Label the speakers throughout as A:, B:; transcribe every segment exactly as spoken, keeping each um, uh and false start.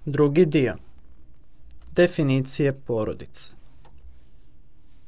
A: Drugi dio. Definicije porodice.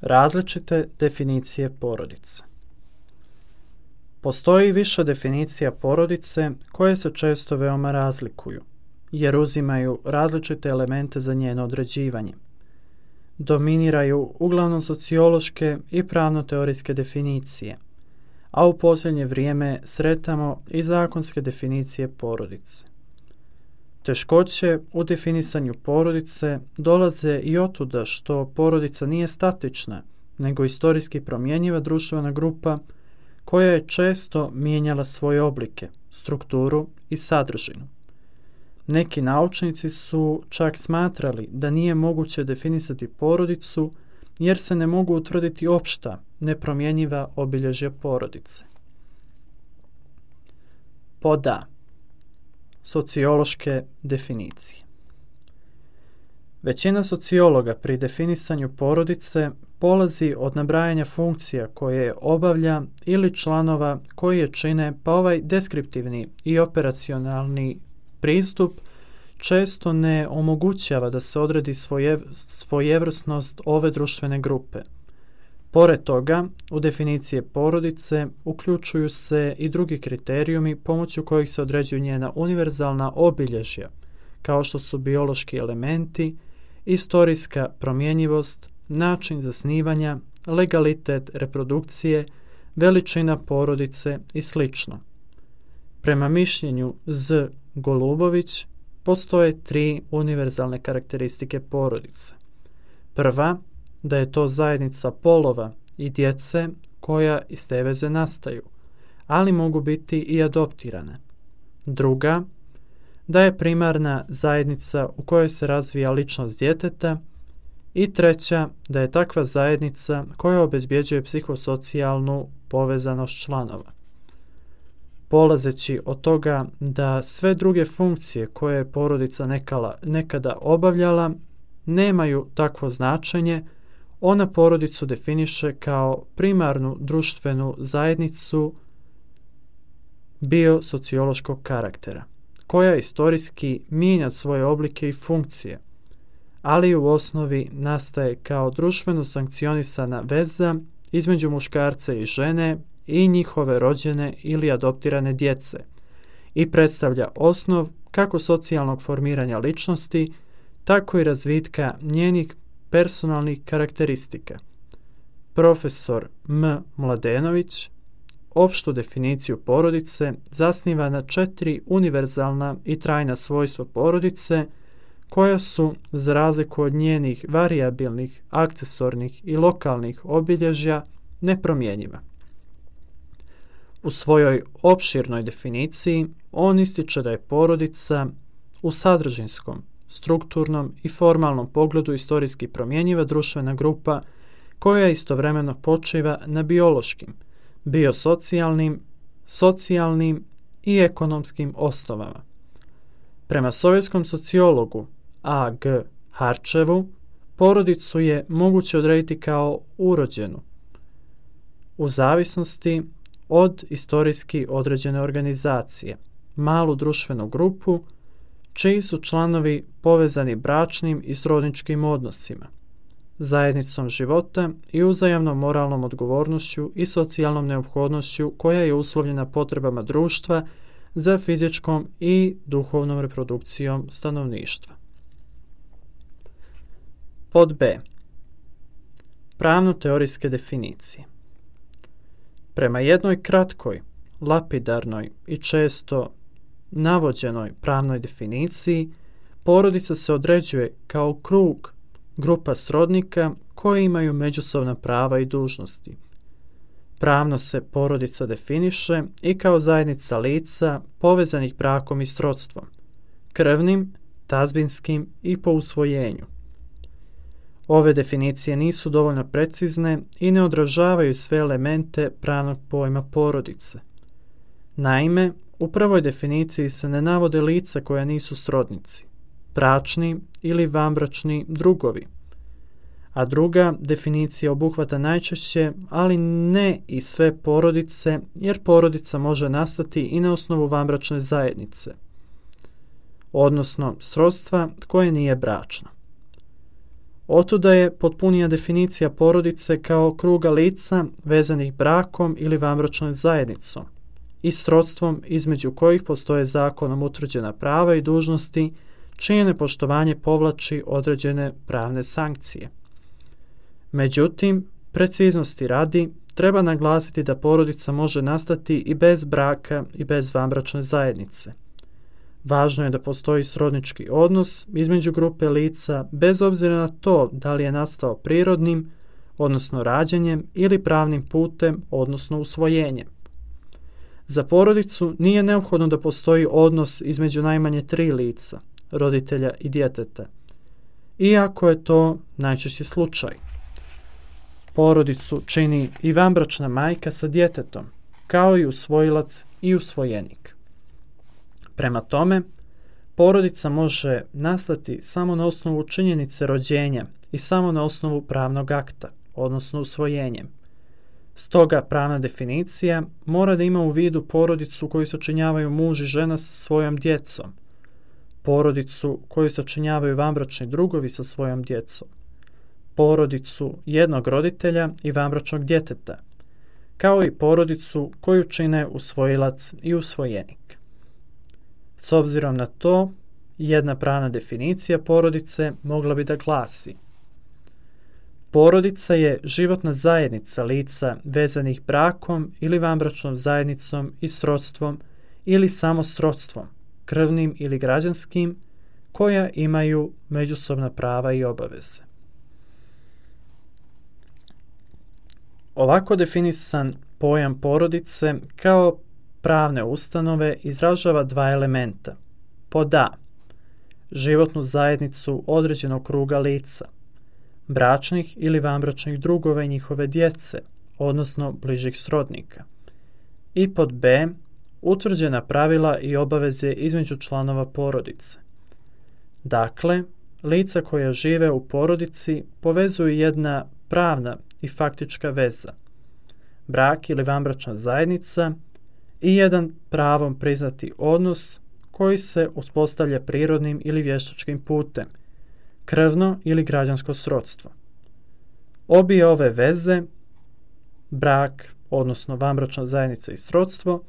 A: Različite definicije porodice. Postoji više definicija porodice koje se često veoma razlikuju, jer uzimaju različite elemente za njeno određivanje. Dominiraju uglavnom sociološke i pravno-teorijske definicije, a u posljednje vrijeme sretamo i zakonske definicije porodice. Teškoće u definisanju porodice dolaze i otuda što porodica nije statična, nego istorijski promjenjiva društvena grupa koja je često mijenjala svoje oblike, strukturu i sadržinu. Neki naučnici su čak smatrali da nije moguće definisati porodicu jer se ne mogu utvrditi opšta, nepromjenjiva obilježja porodice. Pod A. Sociološke definicije. Većina sociologa pri definisanju porodice polazi od nabrajanja funkcija koje obavlja ili članova koji je čine, pa ovaj deskriptivni i operacionalni pristup često ne omogućava da se odredi svoje, svojevrsnost ove društvene grupe. Pored toga, u definicije porodice uključuju se i drugi kriterijumi pomoću kojih se određuju njena univerzalna obilježja, kao što su biološki elementi, istorijska promjenjivost, način zasnivanja, legalitet reprodukcije, veličina porodice i sl. Prema mišljenju Z. Golubović, postoje tri univerzalne karakteristike porodice. Prva, da je to zajednica polova i djece koja iz te veze nastaju, ali mogu biti i adoptirane. Druga, da je primarna zajednica u kojoj se razvija ličnost djeteta. I treća, da je takva zajednica koja obezbjeđuje psihosocijalnu povezanost članova. Polazeći od toga da sve druge funkcije koje je porodica nekala, nekada obavljala nemaju takvo značenje, ona porodicu definiše kao primarnu društvenu zajednicu biosociološkog karaktera, koja istorijski mijenja svoje oblike i funkcije, ali u osnovi nastaje kao društveno sankcionisana veza između muškarca i žene i njihove rođene ili adoptirane djece i predstavlja osnov kako socijalnog formiranja ličnosti, tako i razvitka njenih personalnih karakteristika. Profesor M. Mladenović opštu definiciju porodice zasniva na četiri univerzalna i trajna svojstva porodice koja su, za razliku od njenih varijabilnih, akcesornih i lokalnih obilježja, nepromjenjiva. U svojoj opširnoj definiciji on ističe da je porodica u sadržinskom, strukturnom i formalnom pogledu istorijski promjenjiva društvena grupa koja istovremeno počiva na biološkim, biosocijalnim, socijalnim i ekonomskim osnovama. Prema sovjetskom sociologu A G Harčevu, porodicu je moguće odrediti kao urođenu, u zavisnosti od istorijski određene organizacije, malu društvenu grupu, čiji su članovi povezani bračnim i srodničkim odnosima, zajednicom života i uzajamnom moralnom odgovornošću i socijalnom neophodnošću koja je uslovljena potrebama društva za fizičkom i duhovnom reprodukcijom stanovništva. Pod B. Pravno-teorijske definicije. Prema jednoj kratkoj, lapidarnoj i često navođenoj pravnoj definiciji, porodica se određuje kao krug grupa srodnika koji imaju međusobna prava i dužnosti. Pravno se porodica definiše i kao zajednica lica povezanih brakom i srodstvom, krvnim, tazbinskim i po usvojenju. Ove definicije nisu dovoljno precizne i ne odražavaju sve elemente pravnog pojma porodice. Naime, u prvoj definiciji se ne navode lica koja nisu srodnici, bračni ili vanbračni drugovi, a druga definicija obuhvata najčešće, ali ne i sve porodice, jer porodica može nastati i na osnovu vanbračne zajednice. odnosno srodstva koje nije bračno. Otuda je potpunija definicija porodice kao kruga lica vezanih brakom ili vanbračnom zajednicom i srodstvom između kojih postoje zakonom utvrđena prava i dužnosti čije nepoštovanje povlači određene pravne sankcije. Međutim, preciznosti radi, treba naglasiti da porodica može nastati i bez braka i bez vanbračne zajednice. Važno je da postoji srodnički odnos između grupe lica bez obzira na to da li je nastao prirodnim, odnosno rađanjem, ili pravnim putem, odnosno usvojenjem. Za porodicu nije neophodno da postoji odnos između najmanje tri lica, roditelja i djeteta, iako je to najčešći slučaj. Porodicu čini i vanbračna majka sa djetetom, kao i usvojilac i usvojenik. Prema tome, porodica može nastati samo na osnovu činjenice rođenja i samo na osnovu pravnog akta, odnosno usvojenjem. Stoga pravna definicija mora da ima u vidu porodicu koju sačinjavaju muž i žena sa svojom djecom, porodicu koju sačinjavaju vanbračni drugovi sa svojom djecom, porodicu jednog roditelja i vanbračnog djeteta, kao i porodicu koju čine usvojilac i usvojenik. S obzirom na to, jedna pravna definicija porodice mogla bi da glasi: porodica je životna zajednica lica vezanih brakom ili vanbračnom zajednicom i srodstvom ili samo srodstvom, krvnim ili građanskim, koja imaju međusobna prava i obaveze. Ovako definisan pojam porodice kao pravne ustanove izražava dva elementa. Pod A, životnu zajednicu određenog kruga lica, bračnih ili vanbračnih drugova i njihove djece, odnosno bližih srodnika. I pod B, utvrđena pravila i obaveze između članova porodice. Dakle, lica koja žive u porodici povezuju jedna pravna i faktička veza, brak ili vanbračna zajednica i jedan pravom priznati odnos koji se uspostavlja prirodnim ili vještačkim putem, krvno ili građansko srodstvo. Obje ove veze, brak, odnosno vanbračna zajednica i srodstvo,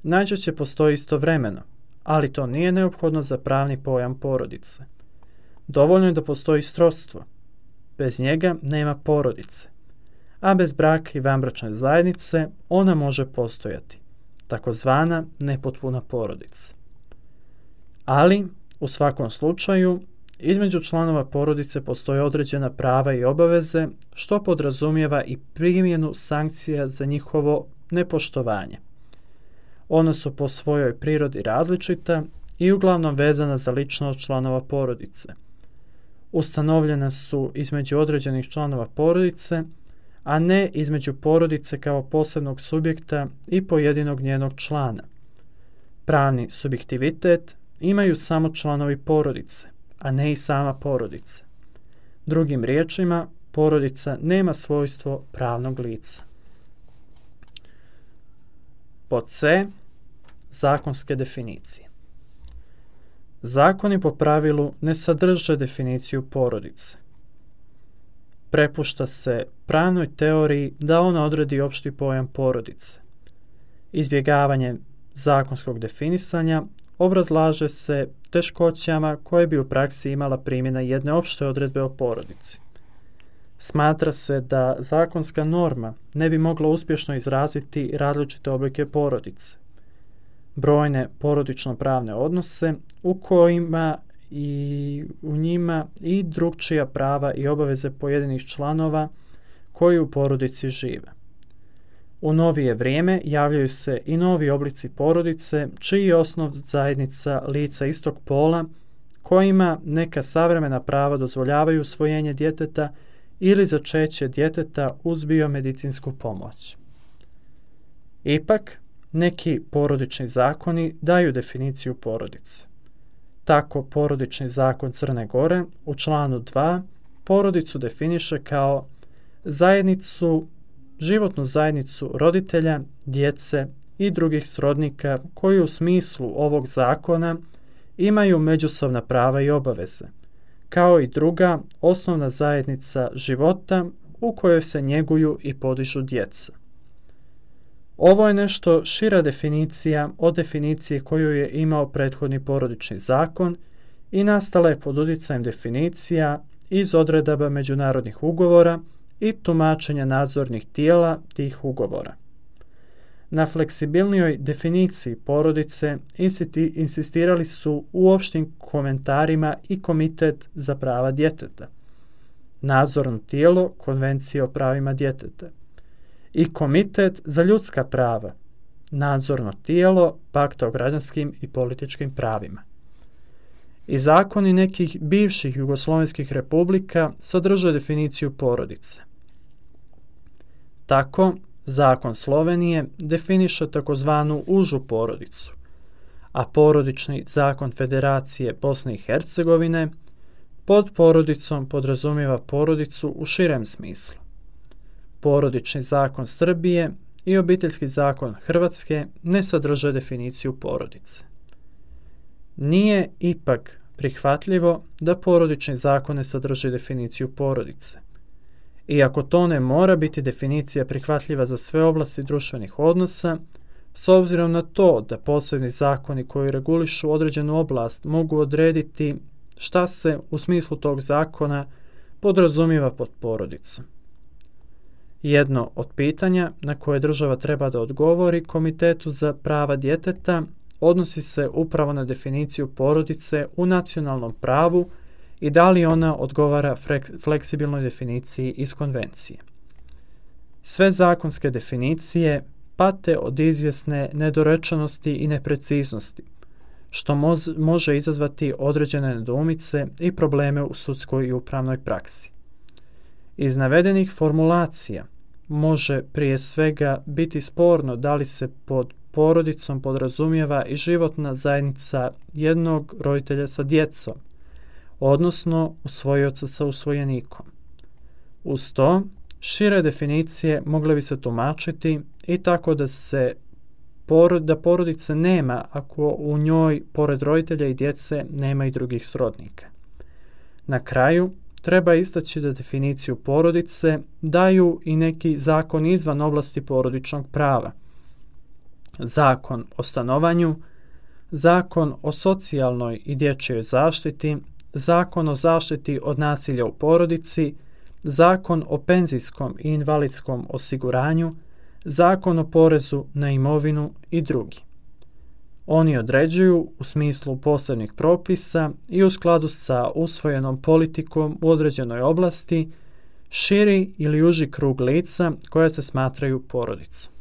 A: najčešće postoji istovremeno, ali to nije neophodno za pravni pojam porodice. Dovoljno je da postoji srodstvo. Bez njega nema porodice, a bez braka i vanbračne zajednice ona može postojati, takozvana nepotpuna porodica. Ali, u svakom slučaju, između članova porodice postoje određena prava i obaveze, što podrazumijeva i primjenu sankcija za njihovo nepoštovanje. Ona su po svojoj prirodi različita i uglavnom vezana za ličnost članova porodice. Ustanovljena su između određenih članova porodice, a ne između porodice kao posebnog subjekta i pojedinog njenog člana. Pravni subjektivitet imaju samo članovi porodice, a ne i sama porodica. Drugim riječima, porodica nema svojstvo pravnog lica. Pod C. Zakonske definicije. Zakoni po pravilu ne sadrže definiciju porodice. Prepušta se pravnoj teoriji da ona odredi opšti pojam porodice. Izbjegavanje zakonskog definisanja obrazlaže se teškoćama koje bi u praksi imala primjena jedne opšte odredbe o porodici. Smatra se da zakonska norma ne bi mogla uspješno izraziti različite oblike porodice, brojne porodično-pravne odnose u kojima i u njima i drugčija prava i obaveze pojedinih članova koji u porodici žive. U novije vrijeme javljaju se i novi oblici porodice, čiji je osnov zajednica lica istog pola, kojima neka savremena prava dozvoljavaju usvojenje djeteta ili začeće djeteta uz biomedicinsku pomoć. Ipak, neki porodični zakoni daju definiciju porodice. Tako, porodični zakon Crne Gore u članu dva porodicu definiše kao zajednicu, životnu zajednicu roditelja, djece i drugih srodnika koji u smislu ovog zakona imaju međusobna prava i obaveze, kao i druga osnovna zajednica života u kojoj se njeguju i podižu djeca. Ovo je nešto šira definicija od definicije koju je imao prethodni porodični zakon i nastala je pod utjecajem definicija iz odredaba međunarodnih ugovora i tumačenja nadzornih tijela tih ugovora. Na fleksibilnijoj definiciji porodice insistirali su u opštim komentarima i Komitet za prava djeteta, nadzorno tijelo Konvencije o pravima djeteta i Komitet za ljudska prava, nadzorno tijelo Pakta o građanskim i političkim pravima. I zakoni nekih bivših jugoslovenskih republika sadrže definiciju porodice. Tako, zakon Slovenije definiše takozvanu užu porodicu, a porodični zakon Federacije Bosne i Hercegovine pod porodicom podrazumijeva porodicu u širem smislu. Porodični zakon Srbije i obiteljski zakon Hrvatske ne sadrže definiciju porodice. Nije ipak prihvatljivo da porodični zakon ne sadrži definiciju porodice. Iako to ne mora biti definicija prihvatljiva za sve oblasti društvenih odnosa, s obzirom na to da posebni zakoni koji regulišu određenu oblast mogu odrediti šta se u smislu tog zakona podrazumijeva pod porodicom. Jedno od pitanja na koje država treba da odgovori Komitetu za prava djeteta odnosi se upravo na definiciju porodice u nacionalnom pravu i da li ona odgovara fleksibilnoj definiciji iz konvencije. Sve zakonske definicije pate od izvjesne nedorečenosti i nepreciznosti, što moz, može izazvati određene nedoumice i probleme u sudskoj i upravnoj praksi. Iz navedenih formulacija može prije svega biti sporno da li se pod porodicom podrazumijeva i životna zajednica jednog roditelja sa djecom, odnosno usvojioca sa usvojenikom. Uz to, šire definicije mogle bi se tumačiti i tako da se da porodice nema ako u njoj, pored roditelja i djece, nema i drugih srodnika. Na kraju, treba istaći da definiciju porodice daju i neki zakon izvan oblasti porodičnog prava. Zakon o stanovanju, zakon o socijalnoj i dječjoj zaštiti, zakon o zaštiti od nasilja u porodici, zakon o penzijskom i invalidskom osiguranju, zakon o porezu na imovinu i drugi. Oni određuju u smislu posebnih propisa i u skladu sa usvojenom politikom u određenoj oblasti širi ili uži krug lica koja se smatraju porodicom.